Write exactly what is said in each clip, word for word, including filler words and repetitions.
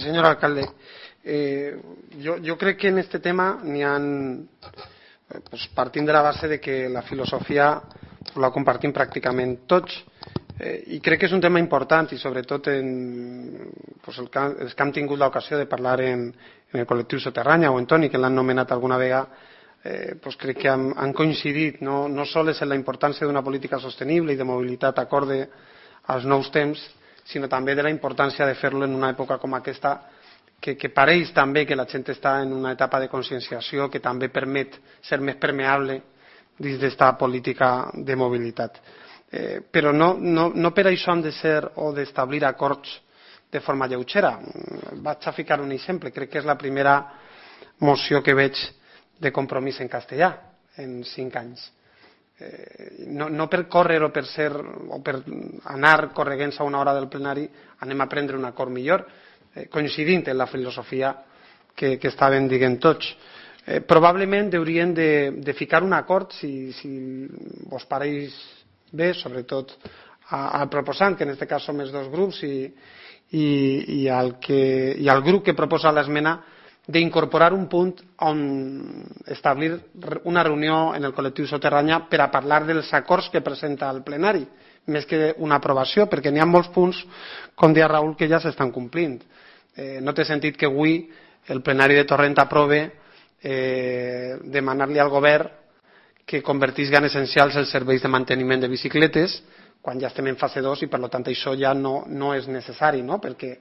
Señor alcalde, eh, yo, yo crec que en este tema n'hi ha, eh, pues, partint de la base de que la filosofia pues, la compartim pràcticament tots eh, i crec que és un tema important i sobretot en, pues, el que, els que hem tingut l'ocasió de parlar en, en el col·lectiu Soterranya o en Toni, que l'han nomenat alguna vegada, eh, pues crec que han, han coincidit no, no sols en la importància d'una política sostenible i de mobilitat acorde als nous temps, sinó també de la importància de fer-lo en una època com aquesta, que, que pareix també que la gent està en una etapa de conscienciació que també permet ser més permeable dins d'esta política de mobilitat. Eh, però no, no, no per això han de ser o d'establir acords de forma lleugera. Vaig a ficar un exemple. Crec que és la primera moció que veig de compromís en castellà en cinc anys. Eh, no, no per córrer o per ser o per anar correguents a una hora del plenari anem a prendre un acord millor, eh, coincidint en la filosofia que, que estaven dient tots. Eh, probablement haurien de, de ficar un acord, si, si vos pareix bé, sobretot a, al proposant, que en aquest cas som els dos grups, i, i, i, al que, i al grup que proposa l'esmena, d'incorporar un punt on establir una reunió en el col·lectiu Soterranya per a parlar dels acords que presenta el plenari, més que una aprovació, perquè n'hi ha molts punts, com deia Raül, que ja s'estan complint. Eh, no té sentit que avui el plenari de Torrent aprove eh, demanar-li al govern que convertisca en essencials els serveis de manteniment de bicicletes quan ja estem en fase dos i per tant això ja no, no és necessari, no? Perquè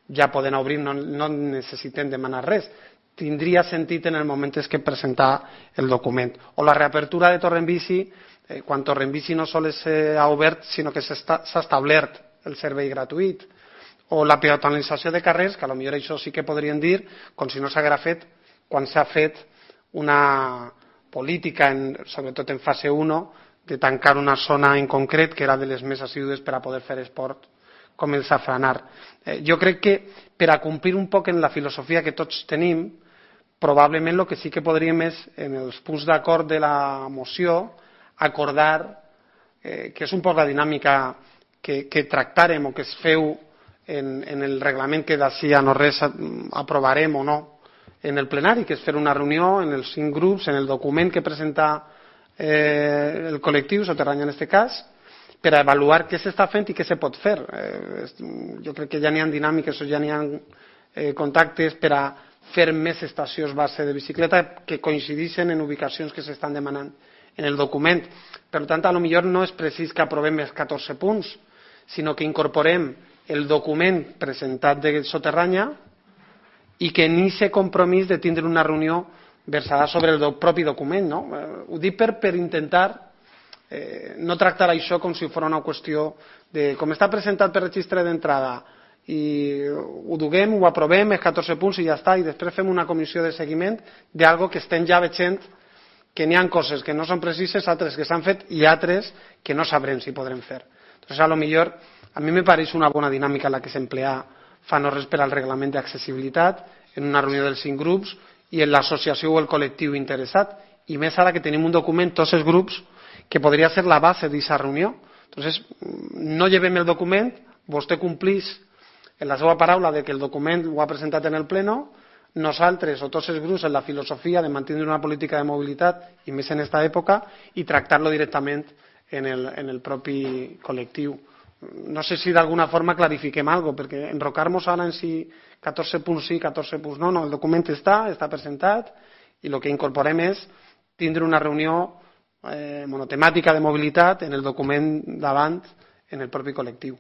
ja poden obrir, no, no necessiten demanar res. Tindria sentit en el moment que presentar el document. O la reapertura de Torrent-Bici, eh, quan Torrent-Bici no sols s'ha obert, sinó que s'ha establert el servei gratuït. O la peatonalització de carrers, que potser això sí que podrien dir, com si no s'haguera fet quan s'ha fet una política, en, sobretot en fase u, de tancar una zona en concret que era de les més assídues per a poder fer esport, com el safranar. Eh, jo crec que per a complir un poc en la filosofia que tots tenim, probablement el que sí que podríem és, en els punts d'acord de la moció, acordar, eh, que és un poc la dinàmica que, que tractarem o que es feu en, en el reglament que d'ací a no res aprovarem o no en el plenari, que és fer una reunió en els cinc grups, en el document que presenta eh, el col·lectiu Soterranya en aquest cas, per a avaluar què s'està fent i què se pot fer. Eh, jo crec que ja n'hi ha dinàmiques o ja n'hi ha eh, contactes per a fer més estacions base de bicicleta que coincideixen en ubicacions que s'estan demanant en el document. Per tant, a lo millor no és precís que aprovem els catorze punts, sinó que incorporem el document presentat de Soterranya i que en aquest compromís de tindre una reunió versada sobre el do, propi document. No? Eh, ho dic per, per intentar Eh, no tractar això com si fos una qüestió de com està presentat per registre d'entrada i ho duguem, ho aprovem, els catorze punts i ja està, i després fem una comissió de seguiment d'algo que estem ja veient que n'hi ha coses que no són precises, altres que s'han fet i altres que no sabrem si podrem fer. Entonces, a lo millor, a mi me pareix una bona dinàmica la que s'emplea fa no res per al reglament d'accessibilitat en una reunió dels cinc grups i en l'associació o el col·lectiu interessat, i més ara que tenim un document, tots els grups, que podria ser la base d'aquesta reunió. Entonces, no llevem el document, vostè complís en la seva paraula de que el document ho ha presentat en el pleno, nosaltres o tots els grups en la filosofia de mantenir una política de mobilitat i més en aquesta època i tractar-lo directament en el, en el propi col·lectiu. No sé si d'alguna forma clarifiquem alguna cosa, perquè enrocar-nos ara en si catorze punts sí, catorze punts no, no, el document està, està presentat i el que incorporem és tindre una reunió Eh, monotemàtica de mobilitat en el document davant en el propi col·lectiu.